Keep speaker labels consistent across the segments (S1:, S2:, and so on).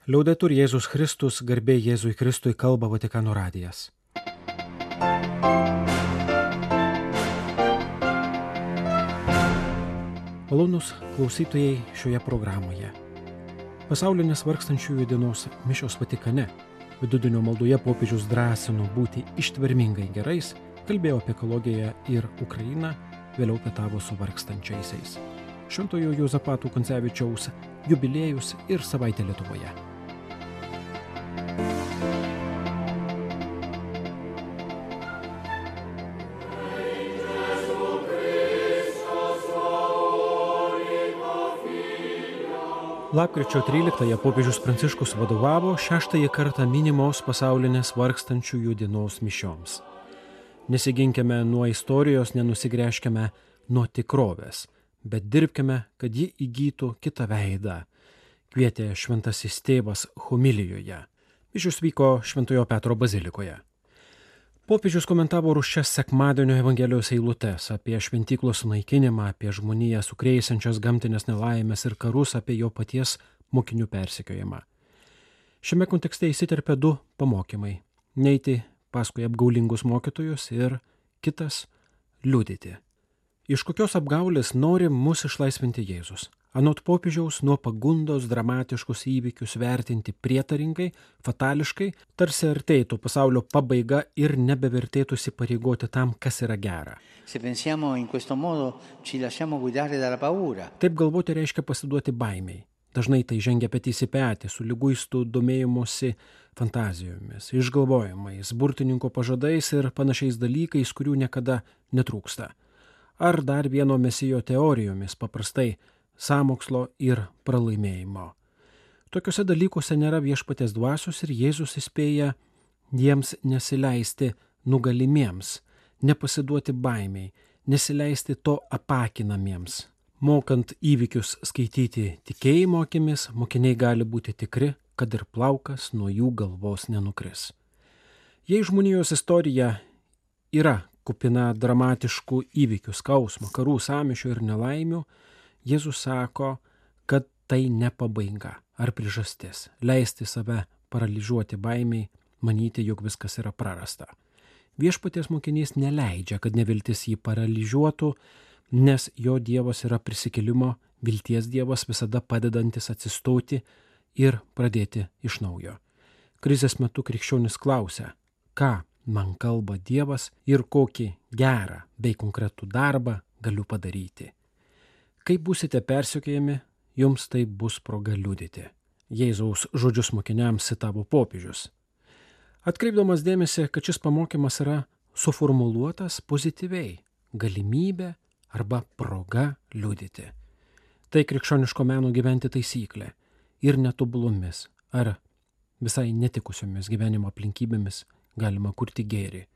S1: Liaudetur Jėzus Kristus, garbė Jėzui Kristui, kalba Vatikano radijas. Malonūs klausytojai šioje programoje. Pasaulinės vargstančiųjų dienos mišios Vatikane. Vidudienio maldoje popiežius drąsino būti ištvermingai gerais, kalbėjo apie ekologiją ir Ukrainą, vėliau pietavo su vargstančiaisiais. Šventojo Juozapato Kuncevičiaus jubiliejus ir savaitė Lietuvoje. Lapkričio 13-ąją popiežius Pranciškus vadovavo 6-ąjį kartą minimos pasaulinės vargstančiųjų dienos mišioms. Nesiginkime nuo istorijos, nenusigręžkime nuo tikrovės, bet dirbkime, kad ji įgytų kitą veidą, kvietė šventasis tėvas homilijoje. Mišios vyko Šventojo Petro bazilikoje. Popiežius komentavo rūsčias sekmadienio Evangelijos eilutes apie šventyklos sunaikinimą, apie žmoniją sukrėsiančias gamtinės nelaimės ir karus, apie jo paties mokinių persekiojimą. Šiame kontekste įsiterpia du pamokymai – neiti paskui apgaulingus mokytojus ir kitas – liudyti. Iš kokios apgaulės nori mus išlaisvinti Jėzus? Anot popiežiaus, nuo pagundos dramatiškus įvykius vertinti prietaringai, fatališkai, tarsi artėtų pasaulio pabaiga ir nebevertėtų įsipareigoti tam, kas yra gera. Taip galvoti reiškia pasiduoti baimiai. Dažnai tai žengia petys į petį su liguistų domėjimusi fantazijomis, išgalvojimais, burtininko pažadais ir panašiais dalykais, kurių niekada netrūksta. Ar dar vieno mesijo teorijomis, paprastai sąmokslo ir pralaimėjimo. Tokiuose dalykuose nėra viešpaties dvasios ir Jėzus įspėja jiems nesileisti nugalimiems, nepasiduoti baimiai, nesileisti to apakinamiems. Mokant įvykius skaityti tikėjimo akimis, mokiniai gali būti tikri, kad ir plaukas nuo jų galvos nenukris. Jei žmonijos istorija yra kupina dramatiškų įvykių, skausmo, karų, sąmyšių ir nelaimių, Jėzus sako, kad tai ne pabaiga ar priežastis, leisti save paralyžiuoti baimiai, manyti, jog viskas yra prarasta. Viešpaties mokinys neleidžia, kad neviltis jį paralyžiuotų, nes jo Dievas yra prisikėlimo, vilties Dievas, visada padedantis atsistoti ir pradėti iš naujo. Krizės metu krikščionis klausia, ką man kalba Dievas ir kokį gerą bei konkretų darbą galiu padaryti. Kai būsite persekiojami, jums tai bus proga liudyti. Jėzaus žodžius mokiniams citavo popiežius. Atkreipdamas dėmesį, kad šis pamokymas yra suformuluotas pozityviai – galimybė arba proga liudyti. Tai krikščioniško meno gyventi taisyklė ir netobulumis ar visai netikusiomis gyvenimo aplinkybėmis galima kurti gėrį.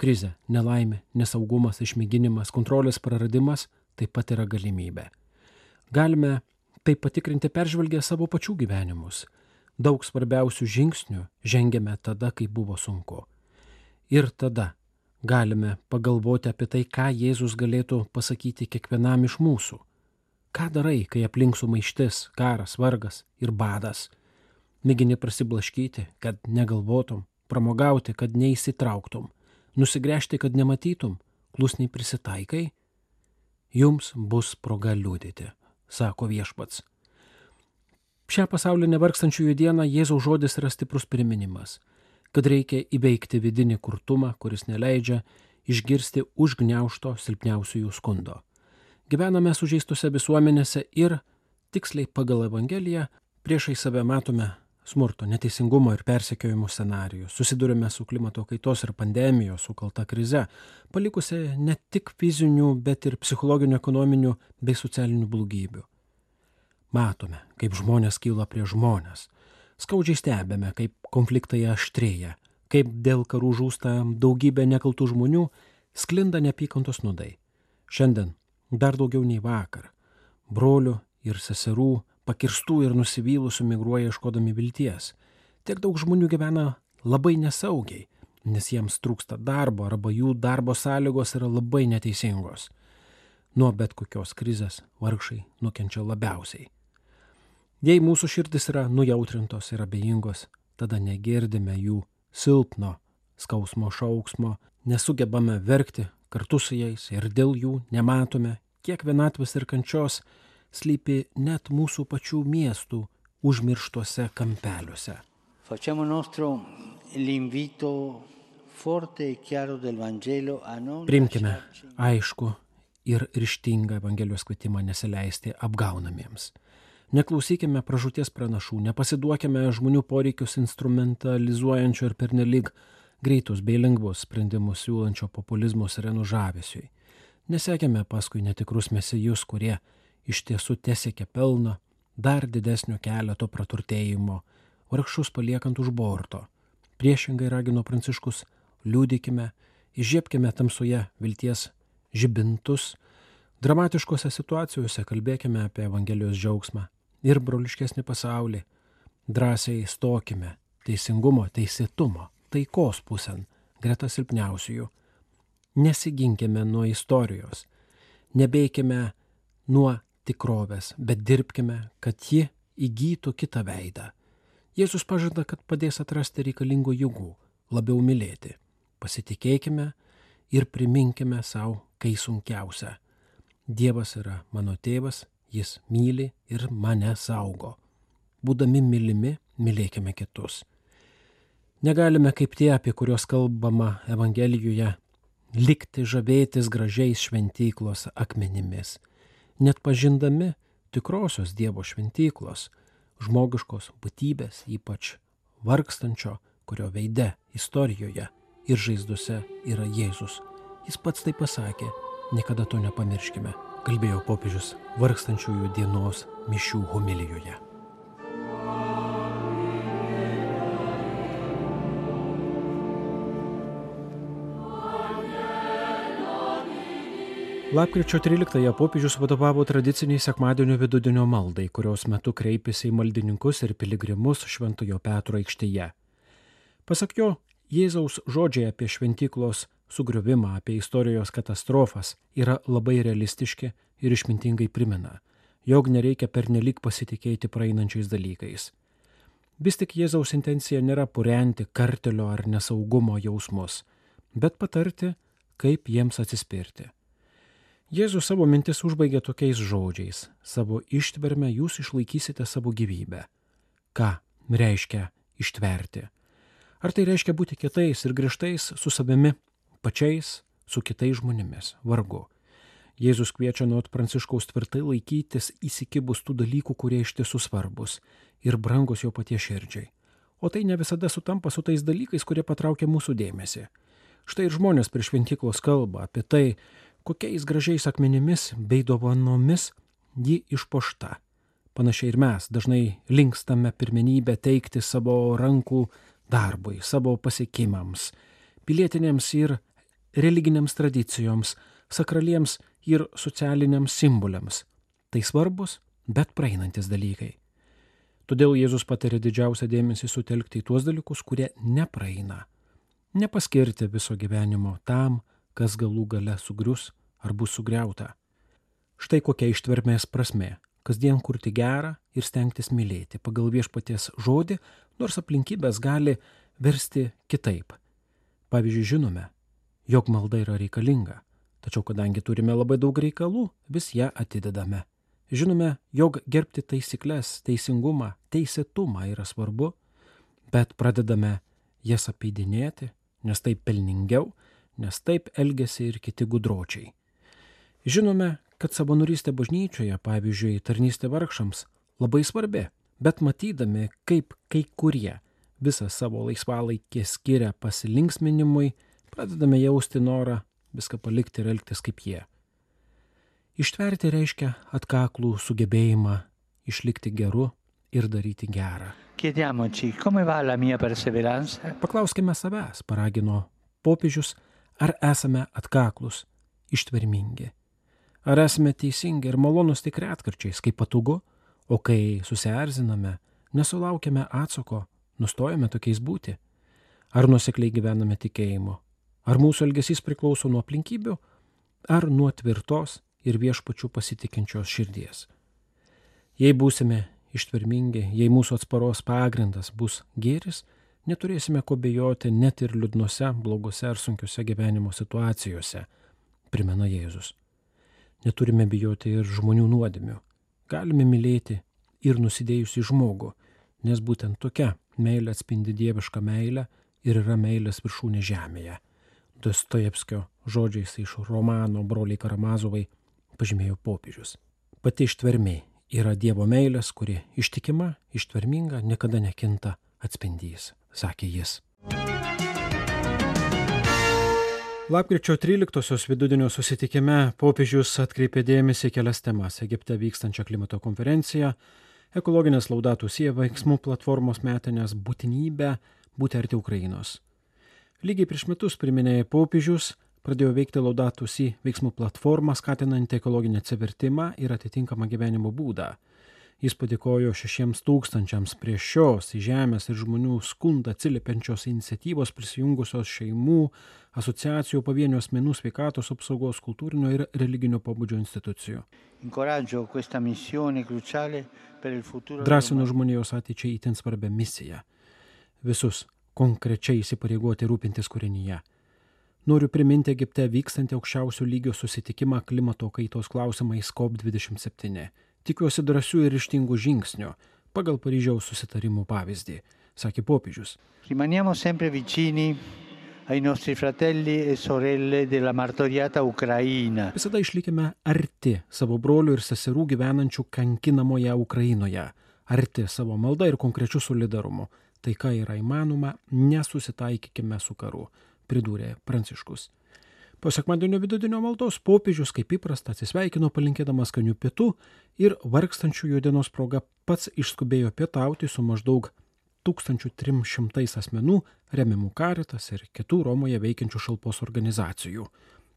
S1: Krizė, nelaimė, nesaugumas, išmėginimas, kontrolės praradimas – taip pat yra galimybė. Galime tai patikrinti peržvelgę savo pačių gyvenimus. Daug svarbiausių žingsnių žengėme tada, kai buvo sunku. Ir tada galime pagalvoti apie tai, ką Jėzus galėtų pasakyti kiekvienam iš mūsų. Ką darai, kai aplink sumaištis, karas, vargas ir badas? Mėgini prasiblaškyti, kad negalvotum, pramogauti, kad neįsitrauktum, nusigręžti, kad nematytum, klusniai prisitaikai? Jums bus proga liudyti, sako viešpats. Šią pasaulinę vargstančiųjų dieną Jėzaus žodis yra stiprus priminimas, kad reikia įveikti vidinį kurtumą, kuris neleidžia išgirsti užgniaužto silpniausiųjų skundo. Gyvename sužeistose visuomenėse ir, tiksliai pagal Evangeliją, priešai save matome smurto, neteisingumo ir persekiojimų scenarijus. Susidurime su klimato kaitos ir pandemijos sukelta krize, palikusi ne tik fizinių, bet ir psichologinių, ekonominių bei socialinių blogybių. Matome, kaip žmonės kyla prie žmonės. Skaudžiai stebime, kaip konfliktai aštrėja, kaip dėl karų žūsta daugybė nekaltų žmonių, sklinda neapykantos nuodai. Šiandien dar daugiau nei vakar. Brolių ir seserų pakirstų ir nusivylusių migruoja ieškodami vilties. Tiek daug žmonių gyvena labai nesaugiai, nes jiems trūksta darbo arba jų darbo sąlygos yra labai neteisingos. Nuo bet kokios krizės vargšai nukenčia labiausiai. Jei mūsų širdis yra nujautrintos ir abejingos, tada negirdime jų silpno skausmo šauksmo, nesugebame verkti kartu su jais ir dėl jų nematome, kiek vienatvės ir kančios slypi net mūsų pačių miestų užmirštuose kampeliuose.
S2: Facciamo nostro l'invito forte e chiaro del Vangelo a non
S1: Priimkime aišku ir ryžtingą Evangelijos kvietimą nesileisti apgaunamiems. Neklausykime pražūties pranašų, nepasiduokime žmonių poreikius instrumentalizuojančio ir pernelyg greitus bei lengvus sprendimus siūlančio populizmo sirenų žavesiui. Nesekime paskui netikrus mesijus, kurie iš tiesų tesiekia pelno, dar didesnio keleto praturtėjimo, vargšus paliekant už borto. Priešingai ragino Pranciškus, liūdėkime, įžiebkime tamsoje vilties žibintus, dramatiškose situacijose kalbėkime apie Evangelijos džiaugsmą ir broliškesnį pasaulį. Drąsiai stokime teisingumo, teisėtumo, taikos pusėn, greta silpniausiųjų. Nesiginkime nuo istorijos, nebeikime nuo tikrovės, bet dirbkime, kad ji įgytų kitą veidą. Jėzus pažada, kad padės atrasti reikalingų jėgų, labiau mylėti. Pasitikėkime ir priminkime savo, kai sunkiausia. Dievas yra mano tėvas, jis myli ir mane saugo. Būdami mylimi, mylėkime kitus. Negalime kaip tie, apie kuriuos kalbama Evangelijoje, likti žavėtis gražiais šventyklos akmenimis, net pažindami tikrosios Dievo šventyklos, žmogiškos būtybės, ypač vargstančio, kurio veide, istorijoje ir žaizdose yra Jėzus. Jis pats tai pasakė, niekada to nepamirškime, kalbėjo popiežius vargstančiųjų dienos mišių homilijoje. Lapkričio 13-ąją popiežius vadovavo tradiciniai sekmadienio vidudienio maldai, kurios metu kreipėsi į maldininkus ir piligrimus Šventojo Petro aikštėje. Pasak jo, Jėzaus žodžiai apie šventyklos sugriuvimą, apie istorijos katastrofas yra labai realistiški ir išmintingai primena, jog nereikia pernelyg pasitikėti praeinančiais dalykais. Vis tik Jėzaus intencija nėra purenti kartelio ar nesaugumo jausmus, bet patarti, kaip jiems atsispirti. Jėzus savo mintis užbaigė tokiais žodžiais: savo ištverme jūs išlaikysite savo gyvybę. Ką reiškia ištverti? Ar tai reiškia būti kietais ir griežtais su savimi pačiais, su kitais žmonėmis? Vargu. Jėzus kviečia nuo Pranciškaus tvirtai laikytis įsikibus tų dalykų, kurie iš tiesų svarbus ir brangus jo paties širdžiai. O tai ne visada sutampa su tais dalykais, kurie patraukia mūsų dėmesį. Štai ir žmonės prie šventyklos kalba apie tai, kokiais gražiais akmenimis bei dovanomis ji išpuošta. Panašiai ir mes dažnai linkstame pirmenybę teikti savo rankų darbui, savo pasiekimams, pilietinėms ir religinėms tradicijoms, sakraliems ir socialiniams simboliams. Tai svarbus, bet praeinantis dalykai. Todėl Jėzus patarė didžiausią dėmesį sutelkti į tuos dalykus, kurie nepraeina. Nepaskirti viso gyvenimo tam, kas galų gale sugrius ar bus sugriauta. Štai kokia ištvermės prasmė – kasdien kurti gerą ir stengtis mylėti pagal Viešpaties žodį, nors aplinkybės gali versti kitaip. Pavyzdžiui, žinome, jog malda yra reikalinga, tačiau kadangi turime labai daug reikalų, vis ją atidedame. Žinome, jog gerbti taisyklės, teisingumą, teisėtumą yra svarbu, bet pradedame jas apeidinėti, nes taip pelningiau, nes taip elgiasi ir kiti gudročiai. Žinome, kad savanorystė bažnyčioje, pavyzdžiui, tarnystė vargšams, labai svarbi, bet matydami, kaip kai kurie visą savo laisvalaikį skiria pasilinksminimui, pradedame jausti norą viską palikti ir elgtis kaip jie. Ištverti reiškia atkaklų sugebėjimą išlikti geru ir daryti gerą.
S2: Chiediamoci, come va la mia perseveranza?
S1: Paklauskime savęs, paragino popiežius, ar esame atkaklus, ištvermingi. Ar esame teisingi ir malonus tik retkarčiais, kai patogu, o kai susierziname, nesulaukiame atsako, nustojame tokiais būti. Ar nuosekliai gyvename tikėjimu? Ar mūsų elgesys priklauso nuo aplinkybių, ar nuo tvirtos ir Viešpačiu pasitikinčios širdies? Jei būsime ištvermingi, jei mūsų atsparos pagrindas bus gėris, neturėsime ko bijoti net ir liūdnose, blogose ar sunkiose gyvenimo situacijose, primena Jėzus. Neturime bijoti ir žmonių nuodėmių. Galime mylėti ir nusidėjusį žmogų, nes būtent tokia meilė atspindi dievišką meilę ir yra meilės viršūnė žemėje. Dostojevskio žodžiais iš romano Broliai Karamazovai pažymėjo popiežius. Pati ištvermė yra Dievo meilės, kuri ištikima, ištverminga, niekada nekinta atspindys, sakė jis. Lapkričio 13-osios vidudienio susitikime popiežius atkreipė dėmesį į kelias temas: Egipte vykstančią klimato konferenciją, ekologinės Laudato Si veiksmų platformos metinės, būtinybę būti arti Ukrainos. Lygiai prieš metus, priminė popiežius, pradėjo veikti Laudato Si veiksmų platformą, skatinanti ekologinį atsivertimą ir atitinkamą gyvenimo būdą. Jis padėkojo 6,000 prie šios į žemės ir žmonių skundą atsiliepiančios iniciatyvos prisijungusios šeimų, asociacijų, pavienių asmenų, sveikatos apsaugos, kultūrinio ir religinio pobūdžio institucijų. Drąsino žmonijos ateičiai itin svarbią misiją. Visus konkrečiai įsipareigoti rūpintis kūrinyje. Noriu priminti Egipte vykstantį aukščiausio lygio susitikimą klimato kaitos klausimais COP27. Tikiuosi drąsių ir ryžtingų žingsnių pagal Paryžiaus susitarimų pavyzdį, sakė popiežius.
S2: Rimaniamo sempre vicini ai nostri fratelli e sorelle della martoriata Ucraina.
S1: Visada išlikime arti savo brolių ir seserų gyvenančių kankinamoje Ukrainoje, arti savo malda ir konkrečių solidarumu. Taika yra įmanoma, nesusitaikykime su karu, pridūrė Pranciškus. Po sekmadienio vidudienio maldos popiežius kaip įprasta atsisveikino palinkėdamas skanių pietų ir vargstančiųjų dienos proga pats išskubėjo pietauti su maždaug 1300 asmenų remiamų Caritas ir kitų Romoje veikiančių šalpos organizacijų.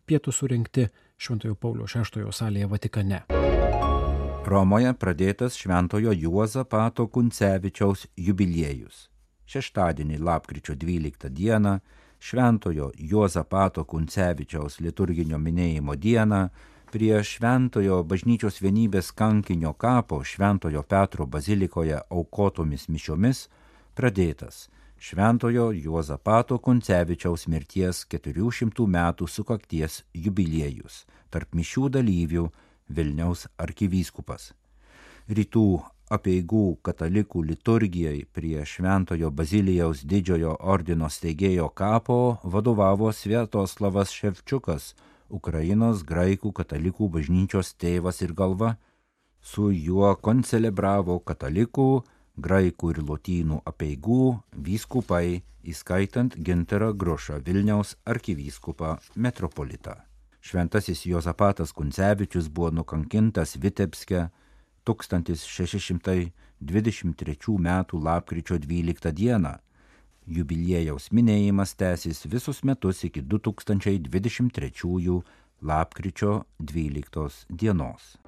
S1: Pietūs surengti Šventojo Pauliaus VI salėje Vatikane.
S3: Romoje pradėtas Šventojo Juozapato Kuncevičiaus jubiliejus. Šeštadienį lapkričio 12 dieną Šventojo Juozapato Kuncevičiaus liturginio minėjimo dieną prie Šventojo bažnyčios vienybės kankinio kapo Šventojo Petro bazilikoje aukotomis mišiomis pradėtas Šventojo Juozapato Kuncevičiaus mirties 400 metų sukakties jubiliejus, tarp mišių dalyvių Vilniaus arkivyskupas. Rytų apeigų katalikų liturgijai prie Šventojo Bazilijaus didžiojo ordino steigėjo kapo vadovavo Sviatoslavas Ševčiukas, Ukrainos graikų katalikų bažnyčios tėvas ir galva. Su juo koncelebravo katalikų, graikų ir lotynų apeigų vyskupai, įskaitant Gintarą Grušą, Vilniaus arkivyskupą metropolitą. Šventasis Juozapatas Kuncevičius buvo nukankintas Vitebske 1623 m. lapkričio 12 d. Jubiliejaus minėjimas tęsis visus metus iki 2023 lapkričio 12 dienos.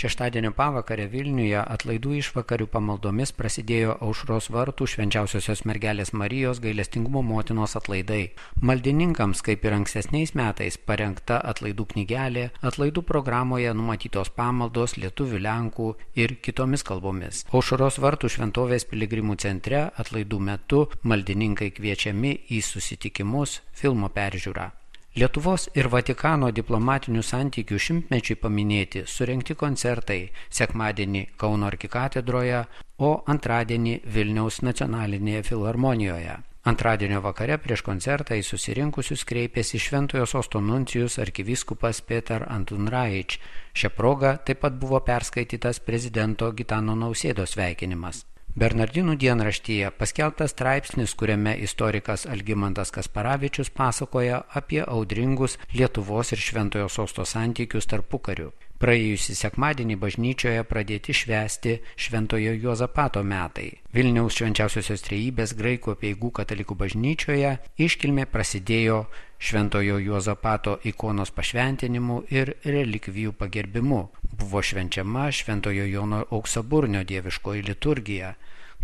S4: Šeštadienio pavakarę Vilniuje atlaidų išvakarių pamaldomis prasidėjo Aušros vartų Švenčiausiosios mergelės Marijos gailestingumo motinos atlaidai. Maldininkams, kaip ir ankstesniais metais, parengta atlaidų knygelė, atlaidų programoje numatytos pamaldos lietuvių, lenkų ir kitomis kalbomis. Aušros vartų šventovės piligrimų centre atlaidų metu maldininkai kviečiami į susitikimus, filmo peržiūrą. Lietuvos ir Vatikano diplomatinių santykių šimtmečiui paminėti surengti koncertai sekmadienį Kauno arkikatedroje, o antradienį Vilniaus nacionalinėje filharmonijoje. Antradienio vakare prieš koncertą į susirinkusius kreipėsi Šventojo Sosto nuncijus arkivyskupas Petar Antunraič. Šia proga taip pat buvo perskaitytas prezidento Gitano Nausėdos sveikinimas. Bernardinų dienraštyje paskelbtas straipsnis, kuriame istorikas Algimantas Kasparavičius pasakoja apie audringus Lietuvos ir Šventojo Sosto santykius tarpukariu. Praėjusį sekmadienį bažnyčioje pradėti švęsti Šventojo Juozapato metai. Vilniaus Švenčiausiosios Trejybės graikų apeigų katalikų bažnyčioje iškilmė prasidėjo Šventojo Juozapato ikonos pašventinimu ir relikvijų pagerbimu. Buvo švenčiama Šventojo Jono Auksaburnio dieviškoji liturgija.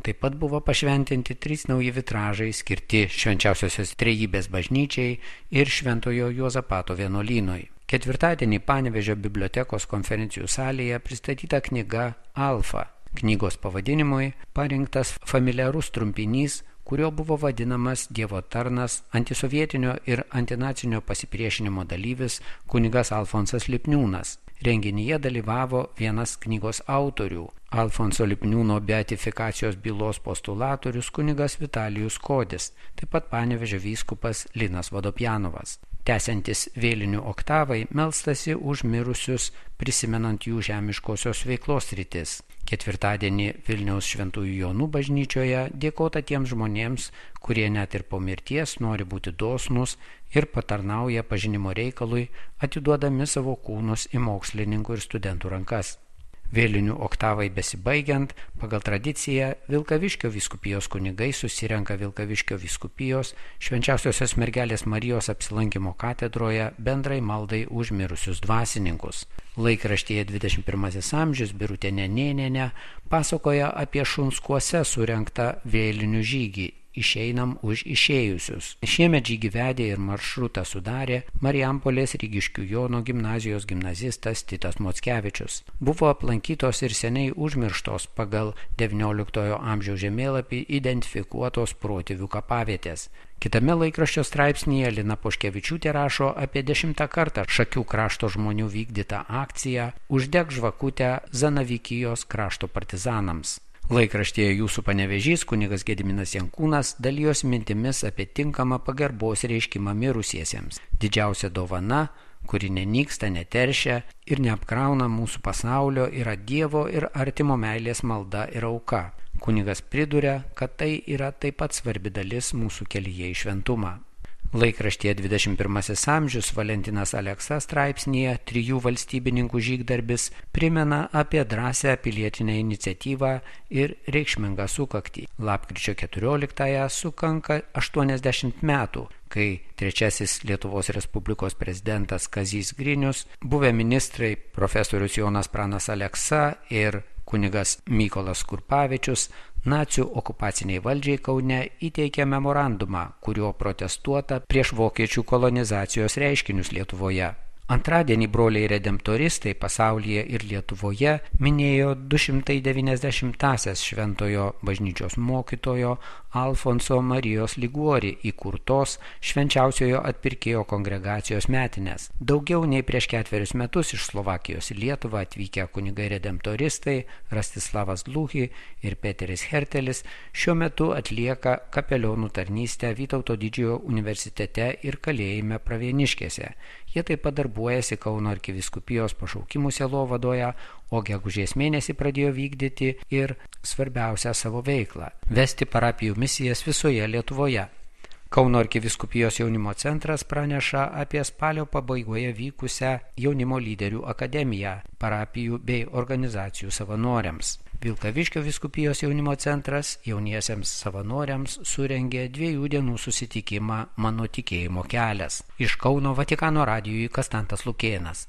S4: Taip pat buvo pašventinti 3 nauji vitražai skirti Švenčiausiosios Trejybės bažnyčiai ir Šventojo Juozapato vienuolynui. Ketvirtadienį Panevėžio bibliotekos konferencijų salėje pristatyta knyga Alfa. Knygos pavadinimui parinktas familiarus trumpinys, kurio buvo vadinamas Dievo tarnas, antisovietinio ir antinacinio pasipriešinimo dalyvis kunigas Alfonsas Lipniūnas. Renginyje dalyvavo vienas knygos autorių, Alfonso Lipniūno beatifikacijos bylos postulatorius kunigas Vitalijus Kodis, taip pat Panevėžio vyskupas Linas Vodopjanovas. Tęsiantis vėlinių oktavai, melstasi už mirusius, prisimenant jų žemiškosios veiklos sritis. Ketvirtadienį Vilniaus Šventųjų Jonų bažnyčioje dėkota tiems žmonėms, kurie net ir po mirties nori būti dosnūs ir patarnauja pažinimo reikalui, atiduodami savo kūnus į mokslininkų ir studentų rankas. Vėlinių oktavai besibaigiant, pagal tradiciją Vilkaviškio vyskupijos kunigai susirenka Vilkaviškio vyskupijos Švenčiausiosios mergelės Marijos apsilankimo katedroje bendrai maldai už mirusius dvasininkus. Laikraštyje 21 amžius Birutė Nenėnienė pasakoja apie Šunskuose surengtą vėlinių žygį Išeinam už išėjusius. Šiemet žygį vedė ir maršrutą sudarė Marijampolės Rygiškių Jono gimnazijos gimnazistas Titas Mockevičius. Buvo aplankytos ir seniai užmirštos pagal XIX amžiaus žemėlapį identifikuotos protėvių kapavietės. Kitame laikraščio straipsnyje Lina Poškevičiūtė rašo apie 10 kartą Šakių krašto žmonių vykdytą akciją Uždek žvakutę Zanavykijos krašto partizanams. Laikraštyje Jūsų Panevėžys kunigas Gediminas Jankūnas dalijosi mintimis apie tinkamą pagarbos reiškimą mirusiesiems. Didžiausia dovana, kuri nenyksta, neteršia ir neapkrauna mūsų pasaulio, yra Dievo ir artimo meilės malda ir auka. Kunigas priduria, kad tai yra taip pat svarbi dalis mūsų kelyje į šventumą. Laikraštyje 21 amžius Valentinas Aleksa straipsnyje 3 valstybininkų žygdarbis primena apie drąsią pilietinę iniciatyvą ir reikšmingą sukaktį. Lapkričio 14-ąją sukanka 80 metų, kai trečiasis Lietuvos Respublikos prezidentas Kazys Grinius, buvę ministrai profesorius Jonas Pranas Aleksa ir kunigas Mykolas Kurpavičius nacių okupaciniai valdžiai Kaune įteikė memorandumą, kuriuo protestuota prieš vokiečių kolonizacijos reiškinius Lietuvoje. Antradienį broliai redemptoristai pasaulyje ir Lietuvoje minėjo 290-asias šventojo bažnyčios mokytojo Alfonso Marijos Liguori įkurtos švenčiausiojo atpirkėjo kongregacijos metinės. Daugiau nei prieš 4 metus iš Slovakijos į Lietuvą atvykę kunigai redemptoristai Rastislavas Dluhi ir Peteris Hertelis šiuo metu atlieka kapelionų tarnystę Vytauto Didžiojo universitete ir kalėjime Pravieniškėse. Jie taip pat darbuojasi Kauno arkivyskupijos pašaukimų sielovadoje, o gegužės mėnesį pradėjo vykdyti ir svarbiausią savo veiklą – vesti parapijų misijas visoje Lietuvoje. Kauno arkivyskupijos jaunimo centras praneša apie spalio pabaigoje vykusią jaunimo lyderių akademiją parapijų bei organizacijų savanoriams. Vilkaviškio vyskupijos jaunimo centras jauniesiems savanoriams surengė 2 dienų susitikimą Mano tikėjimo kelias. Iš Kauno Vatikano radijui Kastantas Lukėnas.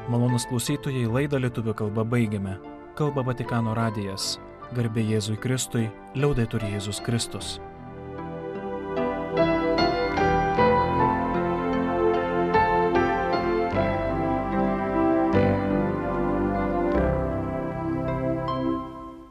S1: Malonūs klausytojai, laidą lietuvių kalba baigiame. Kalba Vatikano radijas. Garbė Jėzui Kristui, liaudetur Jėzus Kristus.